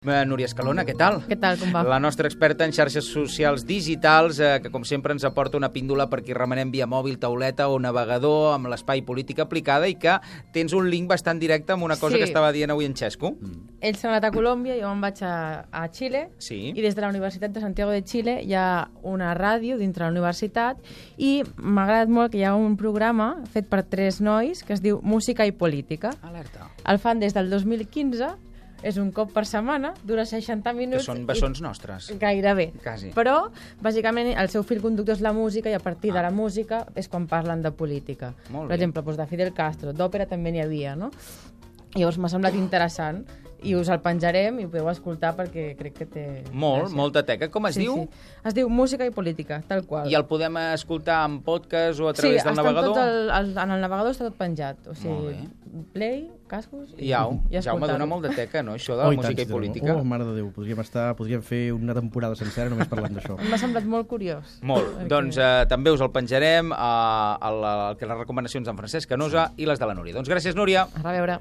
Núria Escalona, què tal? Què tal, com va? La nostra experta en xarxes socials digitals, que com sempre ens aporta una píndola per qui remenem via mòbil, tauleta o navegador amb l'espai polític aplicada i que tens un link bastant directe amb una cosa que estava dient avui en Xesco. Ells s'han anat a Colòmbia, jo me'n vaig a Xile, Sí. i des de la Universitat de Santiago de Xile hi ha una ràdio dintre la universitat i m'ha agradat molt que hi ha un programa fet per 3 nois que es diu Música i Política. Alerta. El fan des del 2015, és un cop per setmana, dura 60 Que minuts. són bessons nostres. Gairebé. Quasi. Però, bàsicament, el seu fil conductor és la música i a partir de la música és quan parlen de política. Molt Per bé. exemple, doncs de Fidel Castro, d'òpera també n'hi havia, no? Llavors m'ha semblat interessant i us el penjarem i ho podeu escoltar perquè crec que té... gràcia. Molta teca. Com es diu? Sí. Es diu Música i Política, tal qual. I el podem escoltar en podcast o a través del navegador? Sí, en el navegador està tot penjat. O Molt sigui, play, cascos i Jaume, escoltar-ho. dona molt de teca, no? Això de la música i política. Oh, mare de Déu, podríem fer una temporada sencera només parlant d'això. M'ha semblat molt curiós. Molt. Perquè- Doncs també us el penjarem a les recomanacions d'en Francesc Canosa i les de la Núria. Doncs gràcies, Núria. A reveure.